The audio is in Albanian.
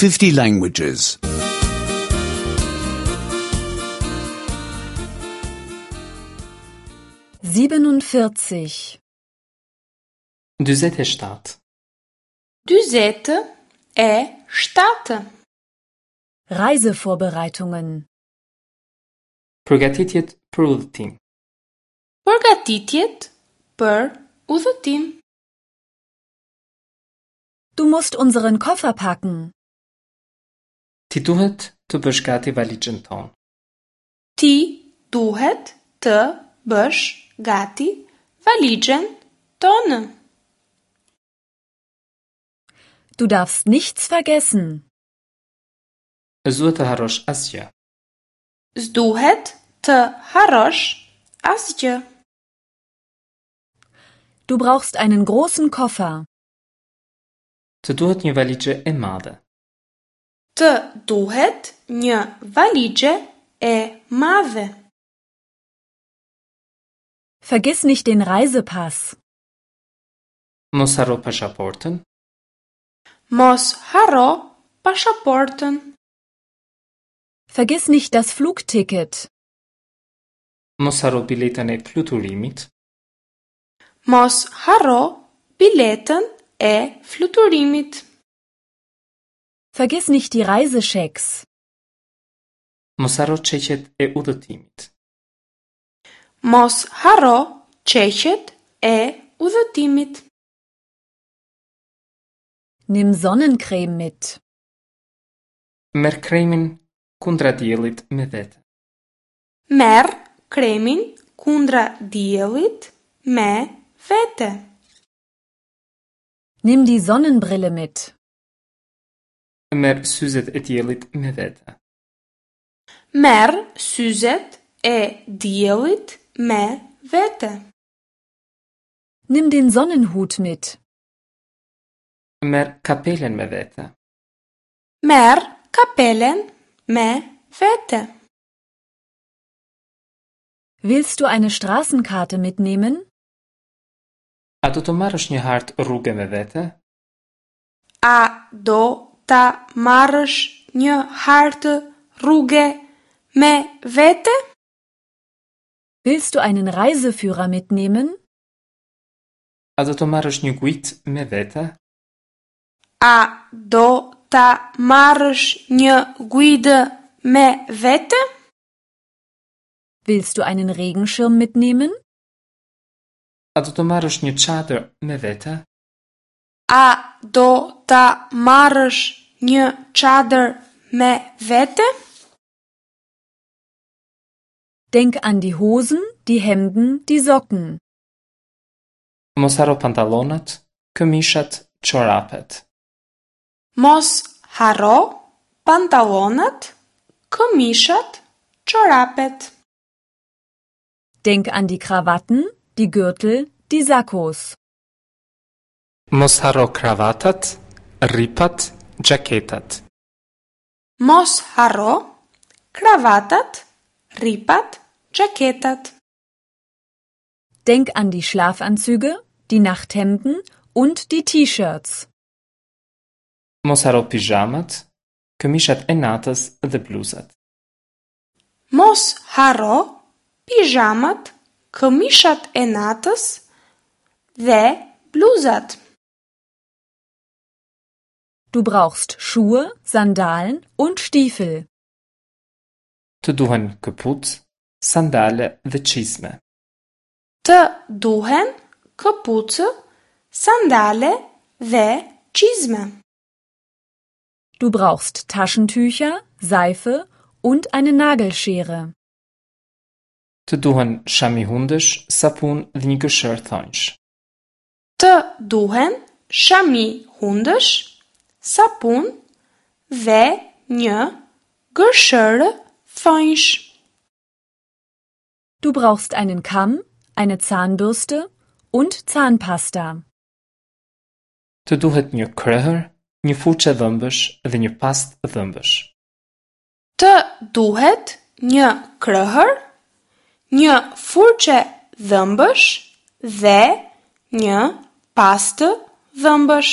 50 languages. 47. 47. 47. Reisevorbereitungen. Përgatitjet për udhëtim. Përgatitjet për udhëtim. Du musst unseren Koffer packen. Ti duhet të bësh gati valixhen tonë. Ti duhet të bësh gati valixhen tonë. Du darfst nichts vergessen. S'duhet të harrosh asgjë. S'duhet të harrosh asgjë. Du brauchst einen großen Koffer. Të duhet një valixhe e madhe. Të duhet një valixhe e madhe. Vergiss nicht den Reisepass. Mos harro pasaportën. Mos harro pasaportën. Vergiss nicht das Flugticket. Mos harro biletën e fluturimit. Mos harro biletën e fluturimit. Vergiss nicht die Reiseschecks. Mos harro çeqet e udhëtimit. Mos harro çeqet e udhëtimit. Nimm Sonnencreme mit. Merr kremin kundra diellit me vete. Merr kremin kundra diellit me vete. Nimm die Sonnenbrille mit. Merr syzet e diellit me vete. Merr syzet e diellit me vete. Nimm den Sonnenhut mit. Merr kapelen me vete. Merr kapelen me vete. Willst du eine Straßenkarte mitnehmen? A do të marrësh një hartë rruge me vete? A do ta marrësh një hartë rruge me vete? Willst du einen Reiseführer mitnehmen? A do të marrësh një guidë me vete? A do ta marrësh një guidë me vete? Willst du einen Regenschirm mitnehmen? A do të marrësh një çadër me vete? A do ta marrësh një çadër me vete? Denk an die Hosen, die Hemden, die Socken. Mos harro pantallonat, këmishat, çorapet. Mos harro pantallonat, këmishat, çorapet. Denk an die Krawatten, die Gürtel, die Sakkos. Mos harro kravatat, rripat, xhaketat. Mos harro kravatat, rripat, xhaketat. Denk an die Schlafanzüge, die Nachthemden und die T-Shirts. Mos harro pizhamat, këmishat e natës dhe bluzat. Mos harro pizhamat, këmishat e natës dhe bluzat. Du brauchst Schuhe, Sandalen und Stiefel. Të duhen këpucë, sandale dhe çizme. Të duhen këpucë, sandale dhe çizme. Du brauchst Taschentücher, Seife und eine Nagelschere. Të duhen shami hundësh, sapun dhe një gërshërë thonjsh. Të duhen shami hundësh, sapun dhe një gërshërë thonjsh. Du brauchst einen Kamm, eine Zahnbürste und Zahnpasta. Të duhet një krehër, një furçë dhëmbësh dhe një pastë dhëmbësh. Të duhet një krehër, një furçe dhëmbësh dhe një pastë dhëmbësh.